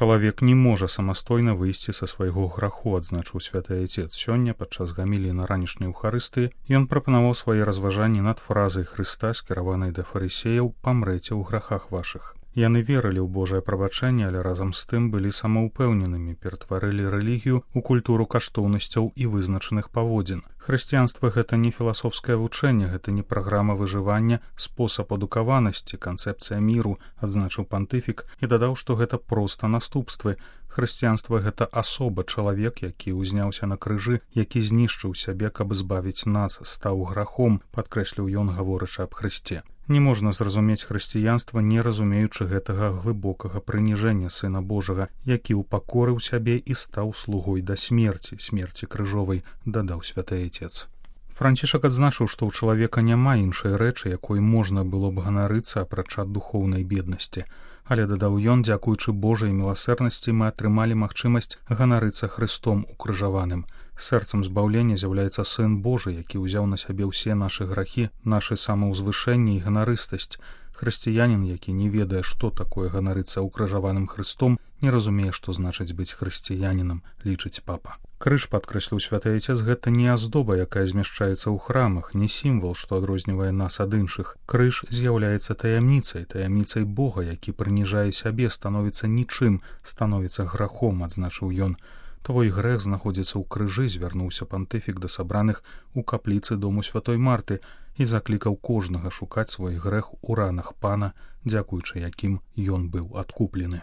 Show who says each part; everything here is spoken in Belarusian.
Speaker 1: Чалавек не можа самастойна выйсці са свайго граху, адзначыў святы Айцец. Сёння падчас гаміліі на ранішняй Еўхарыстыі ён прапанаваў свае разважанні над фразай Хрыста, скіраванай да фарысеяў: «Памрэце ў грахах вашых». Яны верылі ў Божае прабачэнне, але разам з тым былі самаўпэўненымі, ператварылі рэлігію ў культуру каштоўнасцяў і вызначаных паводзін. Хрысціянства — гэта не філасофскае вучэнне, гэта не праграма выжывання, спосаб адукаванасці, канцэпцыя міру, адзначыў пантыфік і дадаў, што гэта проста наступствы. Хрысціянства — гэта асоба, чалавек, які ўзняўся на крыжы, які знішчыў сябе, каб збавіць нас, стаў грахом, падкрэсліў ён, гаворачы аб Хрысце. Не можна зразумець хрысціянства, не разумеючы гэтага глыбокага прыніжэння Сына Божага, які ўпакорыў сябе і стаў слугой да смерці, смерці крыжовай, дадаў святы Айцец. Францішак адзначыў, што ў чалавека няма іншай рэчы, якой можна было б ганарыцца, апрача духоўнай беднасці. Але, дадаў ён, дзякуючы Божай міласэрнасці мы атрымалі магчымасць ганарыцца Хрыстом укрыжаваным. Сэрцам збаўлення з'яўляецца Сын Божы, які ўзяў на сябе ўсе нашы грахі, нашы самаўзвышэнне і ганарыстасць. Хрысціянін, які не ведае, што такое ганарыцца укрыжаваным Хрыстом, не разумее, што значыць быць хрысціянінам, лічыць папа. Крыж, падкрэсліў святы Айцец, гэта не аздоба, якая змяшчаецца ў храмах, не сімвал, што адрознівае нас ад іншых. Крыж з'яўляецца таямніцай Бога, які прыніжае сябе, становіцца нічым, становіцца грахом, адзначыў ён. Твой грэх знаходзіцца ў крыжы, звярнуўся пантыфік да сабраных у капліцы дому святой Марты і заклікаў кожнага шукаць свой грэх у ранах Пана, дзякуючы якім ён быў адкуплены.